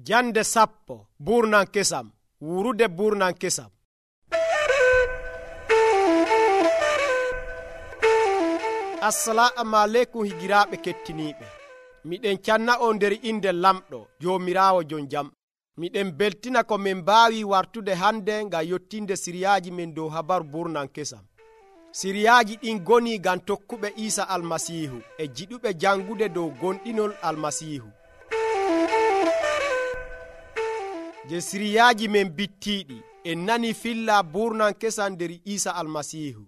Jande 10 Burnan kesam. Wurude burnan kesam. Assalamu alaikum higiraaɓe kettiniiɓe. Miɗen canna on nder inde lamɗo Joomiraawo jon jam. Miɗen beltina ko min mbaawi wartude hande ngam yottinde siriyaaji men dow habaru burnan kesam. Siriyaaji ɗin goni ngam tokkuɓe Iisa Almasiihu e jiɗuɓe jangude dow gonɗinol Almasiihu. Je siriyaaji men bittiiɗi en nani filla burnan kesam nder Iisa Almasiihu.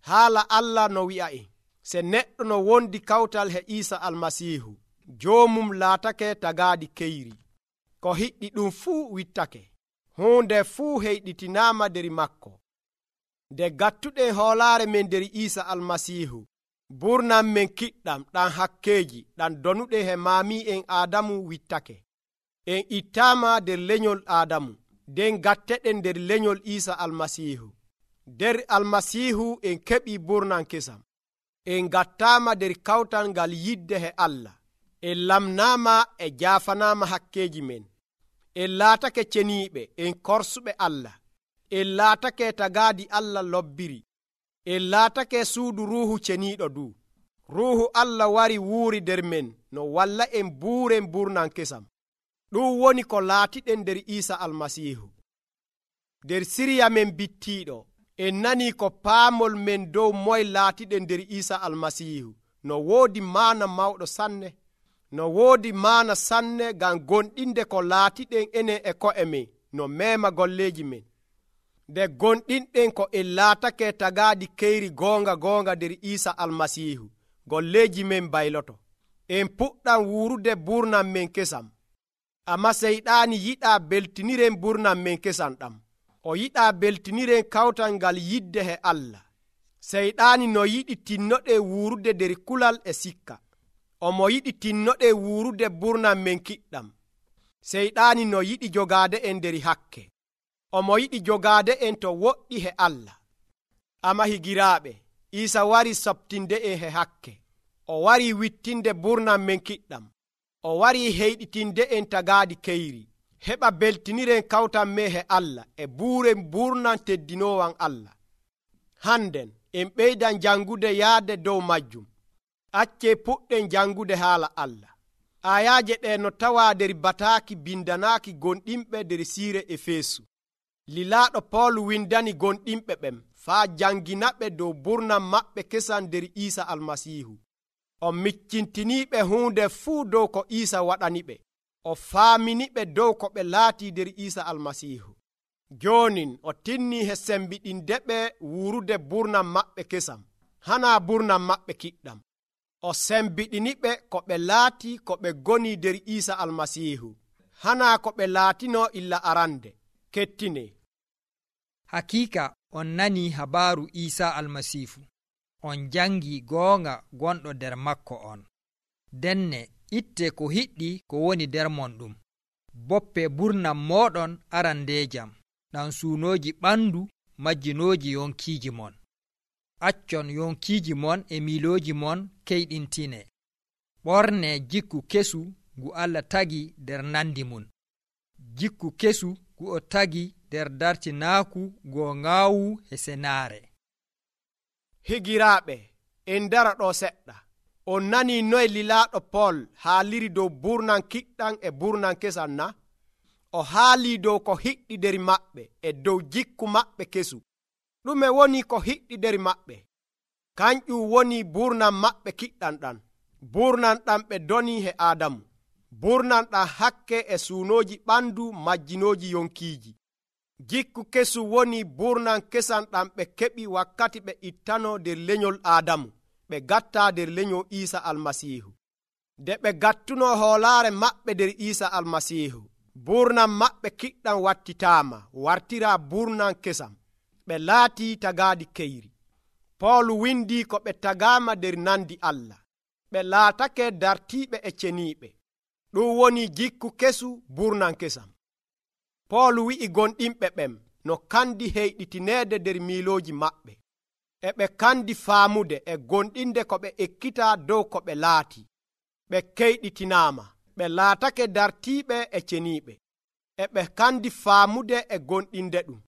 Haala Allah no wi'a'en, se neɗɗo no wondi kawtal he Iisa Almasiihu, joomum laatake tagaadi keyri. Ko hiɗɗi ɗum fuu wittake. Hunde fuu heyɗitinaama nder makko. Nde gattuɗen hoolaare men nder Iisa Almasiihu, burnan men kiɗɗam ɗam hakkeeji ɗam donuɗen he maami'en Aadamu wittake. En ittaama nder lenyol Aadamu, nden gatteɗen nder lenyol Iisa Almasiihu. Nder Almasiihu en keɓi burnan kesam. En gattaama nder kawtal ngal yidde he Allah. En lamnaama e jaafanaama hakkeeji men. En laatake ceniiɓe, en korsuɓe Allah. En laatake tagaadi Allah lobbiri. En laatake suudu Ruuhu ceniiɗo du. Ruuhu Allah wari wuuri nder men no walla en buuren burnan kesam. Ɗum woni ko laatiɗen nder Iisa Almasiihu. Nder siriya men bittiiɗo, en nanii ko paamol men dow moye laatiɗen nder Iisa Almasiihu no woodi maana mawɗo sanne. No woodi maana sanne ngam gonɗinde ko laatiɗen enen e ko'e men no meema golleeji men. Nde gonɗinɗen ko en laatake tagaadi keyri goonga nder Iisa Almasiihu, golleeji men bayloto. En puɗɗam wuurude burnan men kesam. Amma seyɗaani yiɗaa beltiniren burnan men kesam ɗam. O yiɗaa beltiniren kawtal ngal yidde he Allah. Seyɗaani no yiɗi tinnoɗe wuurude nder kulal e sikka. Omo yiɗi tinnoɗe wuurude burnan men kiɗɗam. Seyɗaani no yiɗi jogaade en nder hakke. Omo yiɗi jogaade en to woɗɗi he Allah. Amma higiraaɓe, Iisa wari soɓtinde en he hakke. O wari wittinde burnan men kiɗɗam. O wari heyɗitinde en tagaadi keyri. Heɓa beltiniren kawtan me he Allah e buuren burnan teddinoowan Allah. Hannden en ɓeydan jangude yaade dow majjum. Accee puɗɗen jangude haala Allah. Ayaaje ɗe no tawaa nder bataaki bindanaaki gonɗinɓe nder siire Efeesu. Lilaaɗo Pool windani gonɗinɓe ɓen faa janginaɓe dow burnan maɓɓe kesam nder Iisa Almasiihu. O miccintiniiɓe huunde fuu dow ko Iisa waɗaniɓe. O faaminiɓe dow ko ɓe laati nder Iisa Almasiihu. Joonin o tinnii he sembiɗindeɓe wuurude burnan maɓɓe kesam, hanaa burnan maɓɓe kiɗɗam. O sembiɗiniɓe ko ɓe laati ko ɓe goni nder Iisa Almasiihu, hanaa ko ɓe laatino illa arande. Kettine. Hakiika on nanii habaaru Iisa Almasiihu. On jangi goonga gonɗo nder makko on. Denne itte ko hiɗɗi ko woni nder mon ɗum. Boppe burnan moɗon arandeejam, ɗan suunooji ɓandu majjinooji yonkiiji mon. Accon yonkiiji mon e miilooji mon keyɗintine. Ɓorne jikku kesu ngu Allah tagi nder nandi mum. Jikku kesu ngu o tagi nder dartinaaku goo ngaawu e senaare. Higiraaɓe, en dara ɗo seɗɗa. On nanii noye lilaaɗo Pool haaliri dow burnan kiɗɗam e burnan kesam na? O haalii dow ko hiɗɗi nder maɓɓe e dow jikku maɓɓe kesu. Ɗume woni ko hiɗɗi nder maɓɓe? Kanƴum woni burnan maɓɓe kiɗɗam ɗam. Burnan ɗam ɓe doni he Aadamu. Burnan ɗam hakke e suunooji ɓandu majjinooji yonkiiji. Jikku kesu woni burnan kesam ɗam ɓe keɓi wakkati ɓe ittano nder lenyol Aadamu, ɓe gatta nder lenyol Iisa Almasiihu. Nde ɓe gattuno hoolaare maɓɓe nder Iisa Almasiihu, burnan maɓɓe kiɗɗam wattitaama wartira burnan kesam. Ɓe laati tagaadi keyri. Pool windi ko ɓe tagaama nder nandi Allah. Ɓe laatake dartiiɓe e ceniiɓe. Ɗum woni jikku kesu burnan kesam. Pool wi'i gonɗinɓe ɓen no kandi heyɗitineede nder miilooji maɓɓe. E ɓe kandi faamude e gonɗinde ko ɓe ekkita dow ko ɓe laati. Ɓe keyɗitinaama. ɓe laatake dartiiɓe e ceniiɓe, e ɓe kandi faamude e gonɗinde ɗum.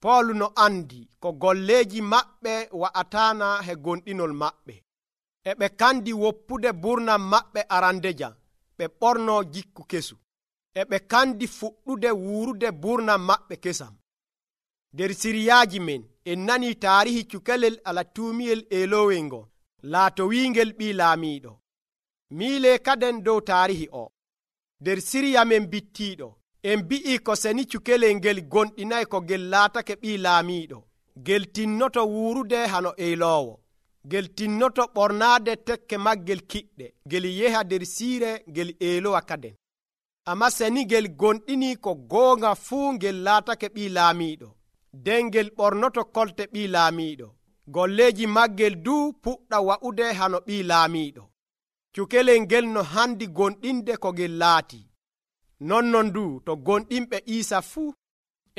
Poolu no andi ko golleeji maɓɓe wa'ataana he gonɗinol maɓɓe, e ɓe kandi woppude burnam maɓɓe arandeja ɓe ɓornoo jikku kesu, e ɓe kandi fuɗɗude wuurude burnam maɓɓe kesam. Der siriyaaji men en nanii taarihi cukalel alatuumiyel eelowel ngo laatowiingel ɓii laamiiɗo. Miilee kaden dow taarihi o. Der siriya men bittiiɗo en mbi'i ko seni cukalel ngel gonɗinay ko ngel laatake ɓii laamiiɗo, ngel tinnoto wuurude hano eeloowo, ngel tinnoto ɓornaade tekke maggel kiɗɗe ngel yeha der siire ngel eelowa kaden. Amma seni ngel gonɗinii ko goonga fuu ngel laatake ɓii laamiiɗo, nden ngel ɓornoto kolte ɓii laamiiɗo, golleeji maggel duu puɗɗa wa'ude hano ɓii laamiiɗo. Cukalel ngel no handi gonɗinde ko ngel laati. Nonnon du to gonɗinɓe Iisa fuu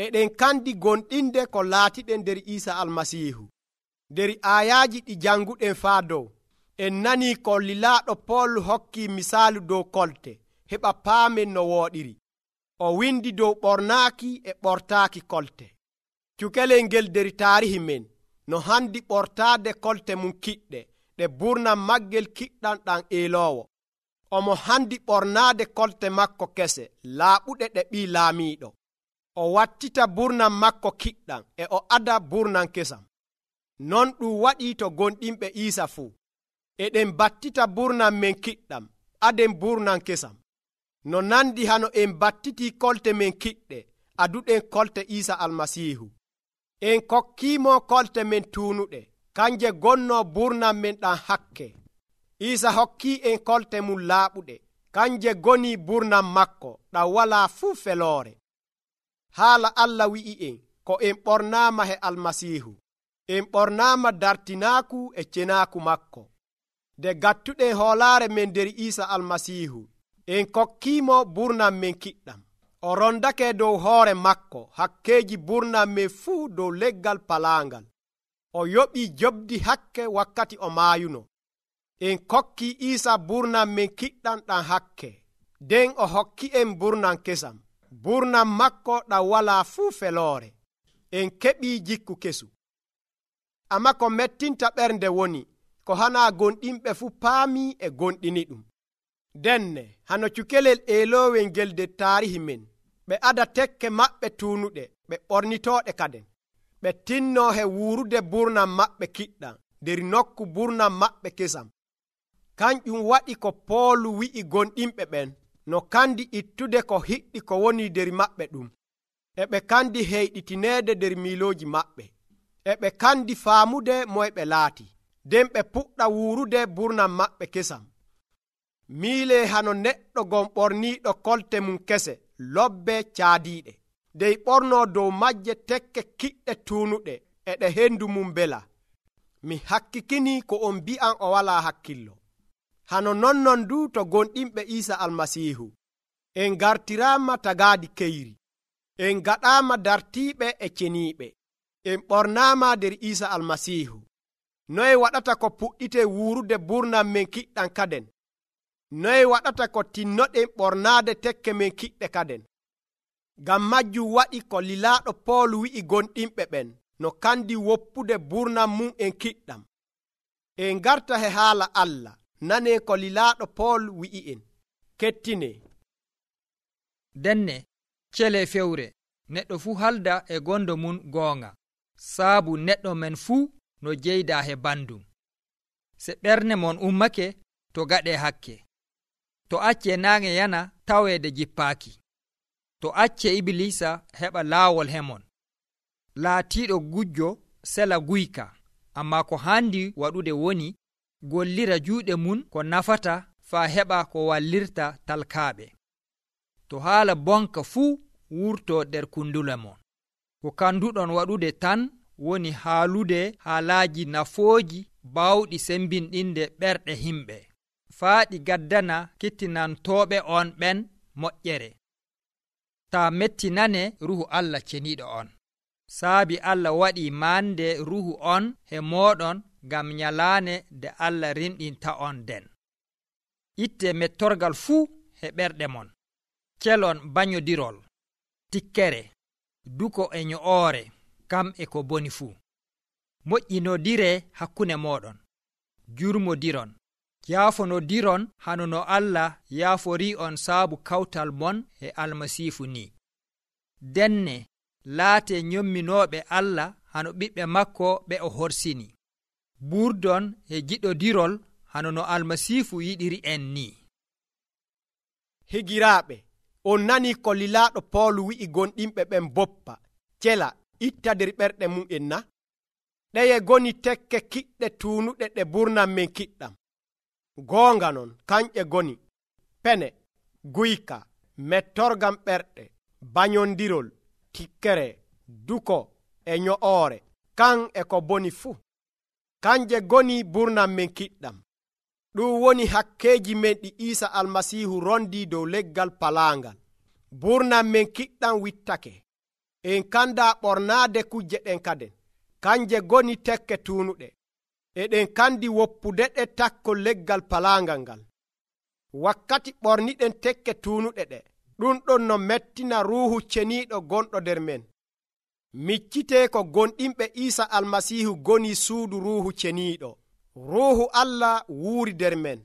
eɗen kandi gonɗinde ko laatiɗen nder Iisa Almasiihu. Der aayaaji ɗi janguɗen faa dow, en nanii ko lilaaɗo Pool hokki misaalu dow kolte heɓa paamen no wooɗiri. O windi dow ɓornaaki e ɓortaaki kolte. Cukalel ngel der taarihi men no handi ɓortaade kolte mum kiɗɗe ɗe burnam maggel kiɗɗam ɗam eeloowo. Omo handi ɓornaade kolte makko kese laaɓuɗe ɗe ɓii laamiiɗo. O wattita burnam makko kiɗɗam e o ada burnam kesam. Non ɗum waɗii to gonɗinɓe Iisa fuu. Eɗen battita burnam men kiɗɗam aden burnam kesam. No nandi hano en battitii kolte men kiɗɗe aduɗen kolte Iisa Almasiihu. En kokkiimo kolte men tuunuɗe, kanje gonnoo burnam men ɗam hakke. Iisa hokkii en kolte mum laaɓuɗe, kanje gonii burnam makko ɗam walaa fuu feloore. Haala Allah wi'i en ko en ɓornaama he Almasiihu. En ɓornaama dartinaaku e cenaaku makko. Nde gattuɗen hoolaare men nder Iisa Almasiihu, en kokkiimo burnam men kiɗɗam. O rondake dow hoore makko hakkeeji burnam men fuu dow leggal palaangal. O yoɓii jobdi hakke wakkati o maayuno. En kokki Iisa burnam men kiɗɗam ɗam hakke, nden o hokki en burnam kesam, burnam makko ɗam walaa fuu feloore. En keɓii jikku kesu. Amma ko mettinta ɓernde woni ko hanaa gonɗinɓe fuu paamii e gonɗini ɗum. Denne hano cukalel eelowel ngel nder taarihi men, ɓe ada tekke maɓɓe tuunuɗe ɓe ɓornitooɗe kaden. Ɓe tinnoo he wuurude burnam maɓɓe kiɗɗam nder nokku burnam maɓɓe kesam. Kanƴum waɗi ko Poolu wi'i gonɗinɓe ɓen no kandi ittude ko hiɗɗi ko woni nder maɓɓe ɗum. E ɓe kandi heyɗitineede nder miilooji maɓɓe. E ɓe kandi faamude moye ɓe laati, nden ɓe puɗɗa wuurude burnam maɓɓe kesam. Miilee hano neɗɗo gon ɓorniiɗo kolte mum kese lobbe caadiiɗe, dey ɓornoo dow majje tekke kiɗɗe tuunuɗe e ɗe hendu mum bela. Mi hakkikinii ko on mbi'an o walaa hakkillo. Hano nonnon du to gonɗinɓe Iisa Almasiihu. En gartiraama tagaadi keyri. En gaɗaama dartiiɓe e ceniiɓe. En ɓornaama nder Iisa Almasiihu. Noye waɗata ko puɗɗite wuurude burnam men kiɗɗam kaden? Noye waɗata ko tinnoɗen ɓornaade tekke men kiɗɗe kaden? Ngam majjum waɗi ko lilaaɗo Pool wi'i gonɗinɓe ɓen no kandi woppude burnam mum en kiɗɗam. En garta he haala Allah, nanee ko lilaaɗo Pool wi'i en. Kettine. Denne cele fewre neɗɗo fuu halda e gondo mum goonga, saabu neɗɗo men fuu no jeyda he bandum. Se ɓernde mon ummake to gaɗe hakke, to acce naange yana taweede jippaaki, to acce Ibilisa heɓa laawol hemon. Laatiiɗo gujjo sela guyka, amma ko handi waɗude woni gollira juuɗe mum ko nafata faa heɓa ko wallirta talkaaɓe. To haala bonka fuu wurto nder kundule mon. Ko kanduɗon waɗude tan woni haalude haalaaji nafooji baawɗi sembinɗinde ɓerɗe himɓe, faa ɗi gaddana kettinantooɓe on ɓen moƴƴere. Taa mettinane Ruhu Allah ceniiɗo on. Saabi Allah waɗi maande Ruhu on he mooɗon ngam nyalaane nde Allah rinɗinta on den. Itte mettorgal fuu e ɓerɗe mon, celon banyodirol, tikkere, duko e nyo'oore, kam e ko boni fuu. Moƴƴinodire hakkunde moɗon, jurmodiron, yaafonodiron hano no Allah yaafori on saabu kawtal mon e almasiifu ni. Denne laate nyomminooɓe Allah hano ɓiɓɓe makko ɓe o horsini. Ɓurdon e jiɗodirol hano no almasiifu yiɗiri en ni. Higiraaɓe, on nani ko lilaaɗo Poolu wi'i gonɗinɓe ɓen boppa, cela, itta nder ɓerɗe mum en na? Ɗeye goni tekke kiɗɗe tuunuɗe ɗe burnan men kiɗɗam. Goonga non, kanƴe goni pene, guyka, mettorgam ɓerɗe, banyondirol, tikkere, duko e nyo'oore, kan e ko boni fuu. Kanje goni burnan men kiɗɗam. Ɗum woni hakkeeji men ɗi Iisa Almasiihu rondi dow leggal palaangal. Burnan men kiɗɗam wittake. En kanda ɓornaade kujje ɗen kaden. Kanje goni tekke tuunuɗe. Eɗen kandi woppude ɗe takkol leggal palaangal ngal. Wakkati ɓorniɗen tekke tuunuɗe ɗe, ɗum ɗon no mettina ruuhu ceniiɗo gonɗo nder men. Miccitee ko gonɗinɓe Iisa Almasiihu goni suudu ruuhu ceniiɗo. Ruuhu Allah wuuri nder men.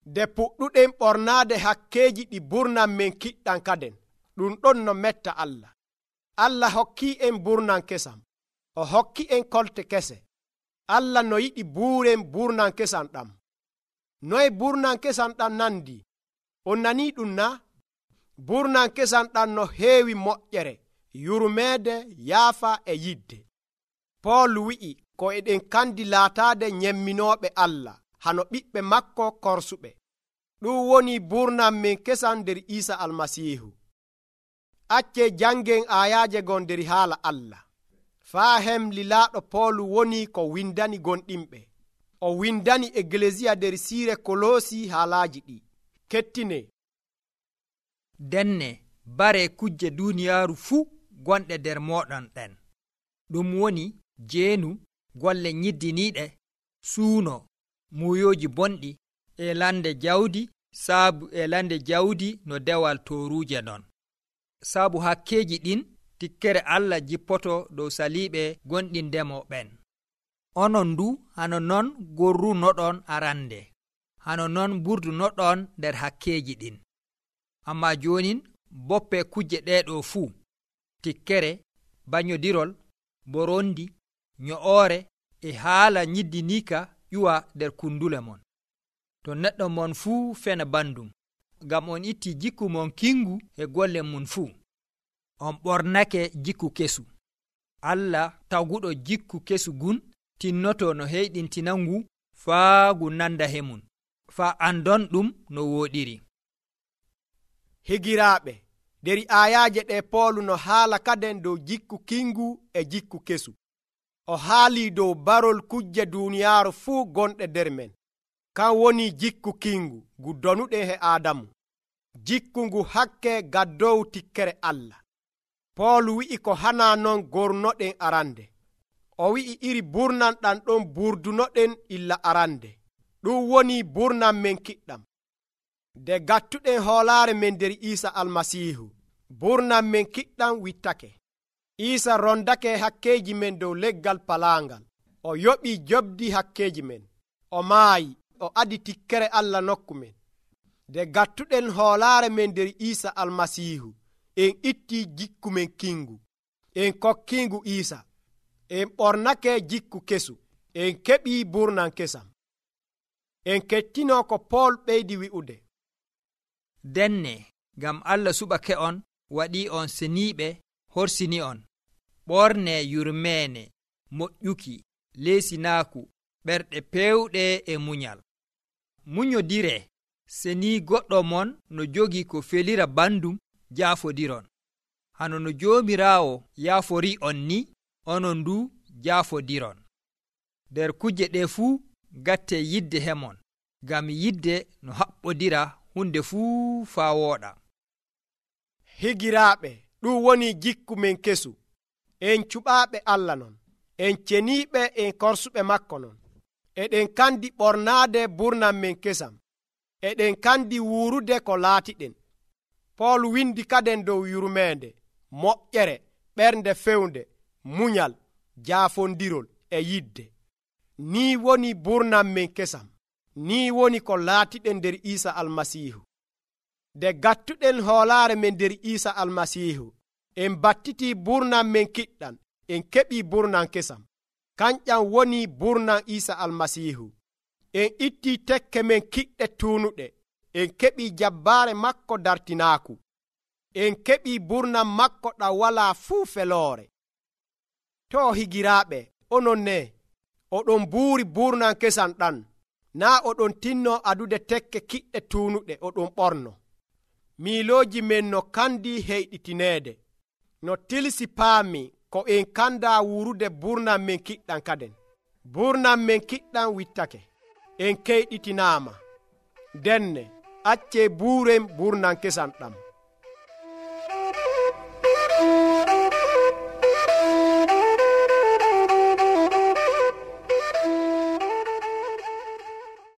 Nde puɗɗuɗen ɓornaade hakkeeji ɗi burnan men kiɗɗam kaden, ɗum ɗon no metta Allah. Allah hokkii en burnan kesam. O hokki en kolte kese. Allah no yiɗi buuren burnan kesam ɗam. Noye burnan kesam ɗam nandi? On nanii ɗum na? Burnan kesam ɗam no heewi moƴƴere, yurmeede, yaafa e yidde. Pool wi'i ko eɗen kandi laataade nyemminooɓe Allah hano ɓiɓɓe makko korsuɓe. Ɗum woni burnan men kesam nder Iisa Almasiihu. Acce jangen aayaaje gon nder haala Allah. Faa hem lilaaɗo Poolu woni ko windani gonɗinɓe. O windani Eglesiya nder siire Koloosi haalaaji ɗi. Kettine. Denne bare kujje duuniyaaru fuu gonɗe nder moɗon ɗen. Ɗum woni jeenu, golle nyiddiniiɗe, suuno, muuyooji bonɗi, e lande jawdi, saabu e lande jawdi no dewal tooruuje non. Saabu hakkeeji ɗin, tikkere Allah jippoto dow saliiɓe gonɗindemo ɓen. Onon ndu hano non gorrunoɗon arande, hano non burdunoɗon nder hakkeeji ɗin. Amma jonin boppe kujje ɗeɗo fuu, tikkere, banyodirol, borondi, nyo'oore e haala nyiddinika ƴuwa nder kundule mon. To neɗɗo mon fuu fena bandum, ngam on itti jikku mon kingu e golle mun fuu. On ɓornake jikku kesu. Allah tawguɗo jikku kesu gun tinnoto no heyɗintina ngu faa ngu nanda hemun, faa andon ɗum no wooɗiri. Higiraaɓe, nder aayaaje ɗe Poolu no haala kaden dow jikku kingu e jikku kesu. O haali dow barol kujje duuniyaaru fuu gonɗe nder men. Kan woni jikku kingu ngu donuɗen he Aadamu. Jikku ngu hakke gaddowu tikkere Allah. Poolu wi'i ko hana non gornoɗen arande. O wi'i iri burnan ɗan ɗon burdunoɗen illa arande. Ɗum woni burnan men kiɗɗam. Nde gattuɗen hoolaare men nder Iisa Almasiihu, burnan men kiɗɗam wittake. Iisa rondake hakkeeji men dow leggal palaangal. O yoɓi jobdi hakkeeji men. O maayi, o adi tikkere Allah nokku men. Nde gattuɗen hoolaare men nder Iisa Almasiihu, en itti jikku men kingu, en kokkingu Iisa, en ɓornake jikku kesu, en keɓi burnan kesam. En kettino ko Pool ɓeydi wi'ude. Denne, ngam Allah suɓake on, waɗi on seniiɓe, horsini on. Ɓorne yurmeene, moƴƴuki, leesinaaku, ɓerɗe pewɗe e munyal. Munyodire, seni goɗɗo mon no jogi ko felira bandum, jaafodiron. Hano no Joomiraawo yaafori on ni, onon ndu jaafodiron. Nder kujje ɗe fuu gatte yidde hemon, ngam yidde no haɓɓodira hunde fuu faa wooɗa. Higiraaɓe, ɗum woni jikku men kesu. En cuɓaaɓe Allah non, en ceniiɓe en korsuɓe makko non. Eɗen kandi ɓornaade burnan men kesam. eɗen kandi wuurude ko laatiɗen. Pool windi kaden dow yurmeende, moƴƴere, ɓernde fewnde, munyal, jaafondirol e yidde. Ni woni burnam men kesam. Ni woni ko laatiɗen nder Iisa Almasiihu. De gattuɗen hoolaare men nder Iisa Almasiihu, en battitii burnam men kiɗɗam, en keɓii burnam kesam. Kanƴam woni burnam Iisa Almasiihu. En ittii tekke men kiɗɗe tuunuɗe, en keɓii jabbaare makko dartinaaku. En keɓii burnam makko ɗam walaa fuu feloore. To higiraaɓe, onon ne, oɗon buuri burnam kesam ɗam, naa oɗon tinno adude tekke kiɗɗe tuunuɗe oɗon ɓorno. Miilooji men no kandi heyɗitineede, no tilsi paami ko en kanda wuurude burnam men kiɗɗam kaden. Burnam men kiɗɗam wittake, en keyɗitinaama. Denne, accee buuren burnam kesam ɗam.